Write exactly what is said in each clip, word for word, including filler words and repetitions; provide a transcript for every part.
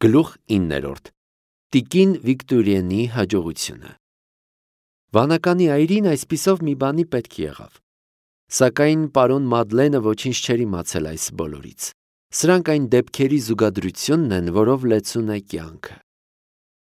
Գլուխ իններորդ. Տիկին Վիկտորիենի հաջողությունը։ Վանականի այրին այսպիսով մի բանի պետք եղավ։ Սակայն պարոն Մադլենը ոչինչ չէր իմացել այս բոլորից։ Սրանք այն դեպքերի զուգադրությունն են, որով լեցուն է կյանքը։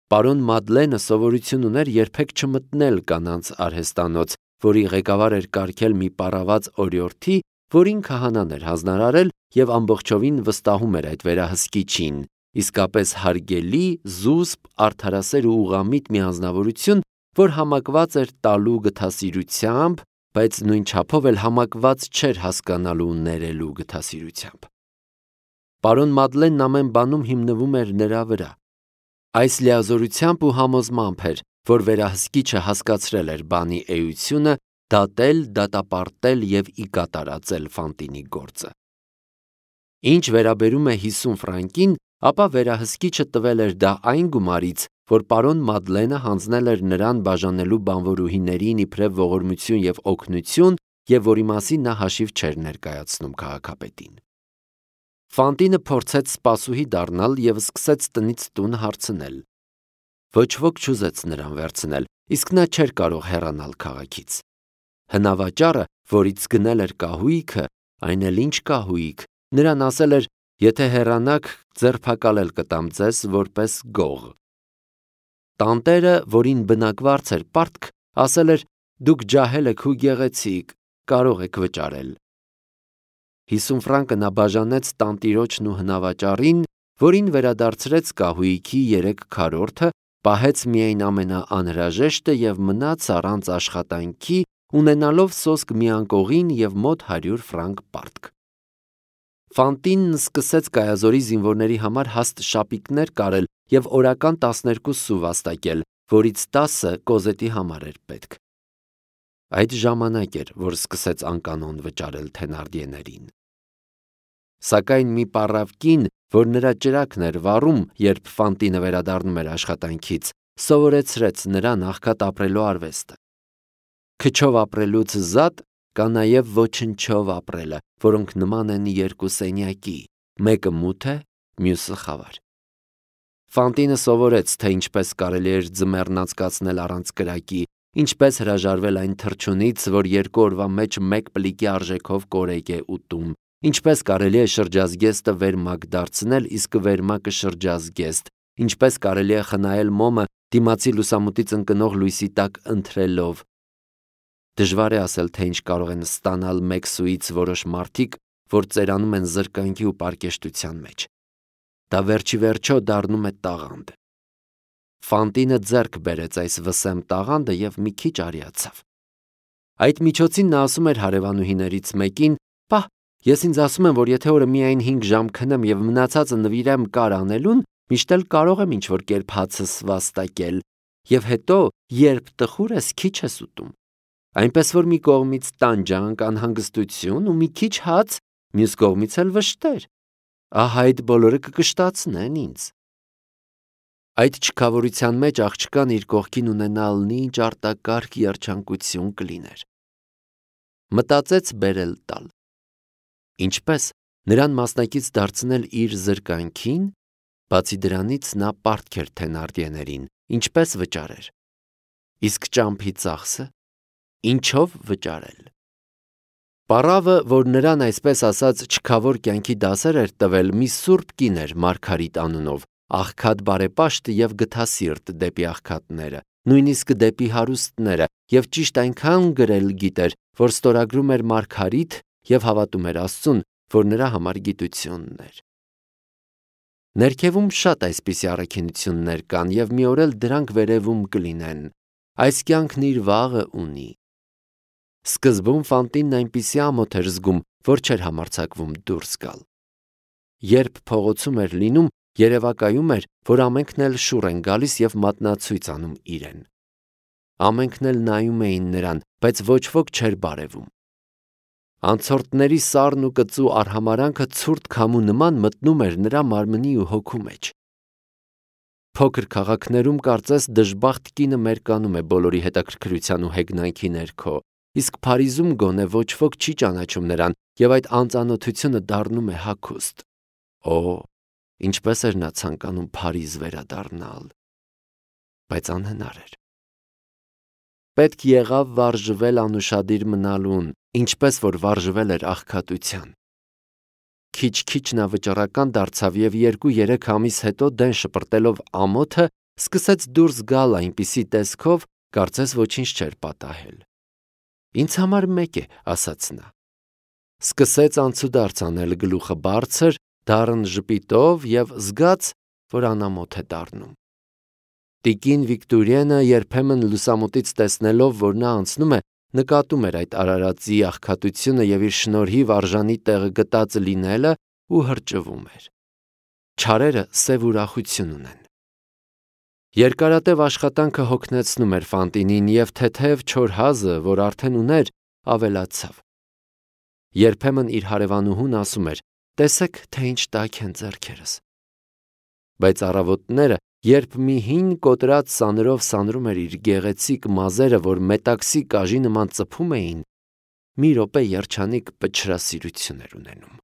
Պարոն Մադլենը սովորություն ուներ երբեք չմտնել կանանց արհեստանոց, որի ղեկավար էր կարգել մի պառաված օրիորդի, որին քահանան էր հանձնարարել և ամբողջովին վստահում էր այդ վերահսկիչին, իսկապես հարգելի, զուսպ, արդարասեր ու ուղղամիտ մի անձնավորություն, որ համակված էր տալու գթասիրությամբ, բայց նույն չափով էլ համակված չէր հասկանալու ու ներելու գթասիրությամբ։ Պարոն Մադլենն ամեն բանում հիմնվում էր նրա վրա։ Այս լիազորությամբ ու համոզմամբ էր, որ վերահսկիչը հասկացրել էր բանի էությունը, դատել, դատապարտել և ի կատարածել Ֆանտինի գործը։ Ինչ վերաբերում է հիսուն ֆրանկին, ապա վերահսկիչը տվել էր դա այն գումարից, որ պարոն Մադլենը հանձնել էր նրան բաժանելու բանվորուհիներին իբրև ողորմություն և օգնություն, և որի մասին նա հաշիվ չէր ներկայացնում քաղաքապետին։ Ֆանտինը փորձեց սպասուհի դառնալ և սկսեց տնից տուն հարցնել։ Ոչ ոք չուզեց նրան վերցնել, իսկ նա չէր կարող հեռանալ քաղաքից։ Հնավաճառը, որից գնել էր կահույքը, այն էլ ինչ կահույք, նրան ասել էր, եթե հեռանաք, ձերբակալել կտամ ձեզ որպես գող։ Տանտերը, որին բնակվարձ էր պարտք, ասել էր, դուք ջահել եք ու գեղեցիկ, կարող եք վճարել։ Հիսուն ֆրանկը նա բաժանեց տանտիրոջն ու հնավաճառին, որին վերադարձրեց կահույքի երեք քառորդը, պահեց միայն ամենաանհրաժեշտը և մնաց առանց աշխատանքի, ունենալով սոսկ մի անկողին և մոտ հարյուր ֆրանկ պարտք։ Ֆանտինն սկսեց Կայազորի զինվորների համար հաստ շապիկներ կարել և օրական տասներկու սու վաստակել, որից տասը Կոզետի համար էր պետք։ Այդ ժամանակ էր, որ սկսեց անկանոն վճարել Թենարդիեներին։ Սակայն մի պառավ կին, որ նրա ճրագն էր վառում, երբ Ֆանտինը վերադառնում էր աշխատանքից, սովորեցրեց նրան աղքատ ապրելու արվեստը։ Քչով ապրելուց զատ կա նաև ոչնչով ապրելը, որոնք նման են երկու սենյակի, մեկը մութ է, մյուսը խավար։ Ֆանտինը սովորեց, թե ինչպես կարելի էր ձմեռն անցկացնել առանց կրակի, ինչպես հրաժարվել այն թռչունից, որ երկու օրվա մեջ մեկ պլիկի արժեքով կորեկ է ուտում, ինչպես կարելի է շրջազգեստը վերմակ դարձնել, իսկ վերմակը շրջազգեստ, ինչպես կարելի է խնայել մոմը դիմացի լուսամուտից ընկնող լույսի տակ ընթրելով։ Դժվար է ասել, թե ինչ կարող են ստանալ մեկ սուից որոշ մարդիկ, որ ծերանում են զրկանքի ու պարկեշտության մեջ։ Դա վերջի վերջո դառնում է տաղանդ։ Ֆանտինը ձեռք բերեց այս վսեմ տաղանդը և մի քիչ արիացավ։ Այդ միջոցին նա ասում էր հարևանուհիներից մեկին. «Պահ, ես ինձ ասում եմ, որ եթե օրը միայն հինգ ժամ քնեմ և մնացածը նվիրեմ կար անելուն, միշտ էլ կարող եմ ինչ-որ կերպ հացս վաստակել, և հետո, երբ տխուր ես, քիչ ես ուտում։ Այնպես որ մի կողմից տանջանք, անհանգստություն ու մի քիչ հաց, մյուս կողմից էլ վշտեր։ Ահա այդ բոլորը կկշտացնեն ինձ»։ Այդ չքավորության մեջ աղջկան իր կողքին ունենալն ինչ արտակարգ երջանկություն կլիներ։ Մտածեց բերել տալ։ Ինչպես նրան մասնակից դարձնել իր զրկանքին, բացի դրանից նա պարտք էր Թենարդիեներին, ինչպես վճարեր։ Իսկ ճամփի ծախսը ինչով վճարել։ Պառավը, որ նրան այսպես ասած չքավոր կյանքի դասեր էր տվել, մի սուրբ կին էր Մարգարիտ անունով, աղքատ բարեպաշտ և գթասիրտ դեպի աղքատները, նույնիսկ դեպի հարուստները, և ճիշտ այնքան գրել գիտեր, որ ստորագրում էր Մարգարիտ և հավատում էր Աստծուն, որ նրա համար գիտությունն էր։ Ներքևում շատ այսպիսի առաքինություններ կան, և մի օր էլ դրանք վերևում կլինեն։ Այս կյանքն իր վաղը ունի։ Սկզբում Ֆանտինն այնպիսի ամոթ էր զգում, որ չէր համարձակվում դուրս գալ։ Երբ փողոցում էր լինում, երևակայում էր, որ ամենքն էլ շուռ են գալիս և մատնացույց անում իրեն։ Ամենքն էլ նայում էին նրան, բայց ոչ ոք չէր բարևում։ Անցորդների սառն ու կծու արհամարհանքը ցուրտ քամու նման մտնում էր նրա մարմնի ու հոգու մեջ։ Փոքր քաղաքներում կարծես դժբախտ կինը մերկանում է բոլորի հետաքրքրության ու հեգնանքի ներքո, իսկ Փարիզում գոնե ոչ ոք չի ճանաչում նրան, և այդ անծանոթությունը դառնում է հագուստ։ Օ, ինչպես էր նա ցանկանում Փարիզ վերադառնալ, բայց անհնար էր։ Պետք եղավ վարժվել անուշադիր մնալուն, ինչպես որ վարժվել էր աղքատության։ Քիչ-քիչ նա վճռական դարձավ և երկու-երեք ամիս հետո դեն շպրտելով ամոթը սկսեց դուրս գալ այնպիսի տեսքով, կարծես ոչինչ չէր պատահել։ «Ինձ համար մեկ է», ասաց նա։ Սկսեց անցուդարձ անել գլուխը բարձր, դառն ժպիտով և զգաց, որ անամոթ է դառնում։ Տիկին Վիկտորիենը երբեմն լուսամուտից տեսնելով, որ նա անցնում է, նկատում էր այդ արարածի աղքատությունը և իր շնորհիվ արժանի տեղը գտածը լինելը ու հրճվում էր։ Չարերը սև ուրախություն ունեն։ Երկարատև աշխատանքը հոգնեցնում էր Ֆանտինին, և թեթև չոր հազը, որ արդեն ուներ, ավելացավ։ Երբեմն իր հարևանուհուն ասում էր. «Տեսեք, թե ինչ տաք են ձեռքերս»։ Բայց առավոտները, երբ մի հին կոտրած սանրով սանրում էր իր գեղեցիկ մազերը, որ մետաքսի կաժի նման ծփում էին, մի րոպե երջանիկ պչրասիրություն էր ունենում։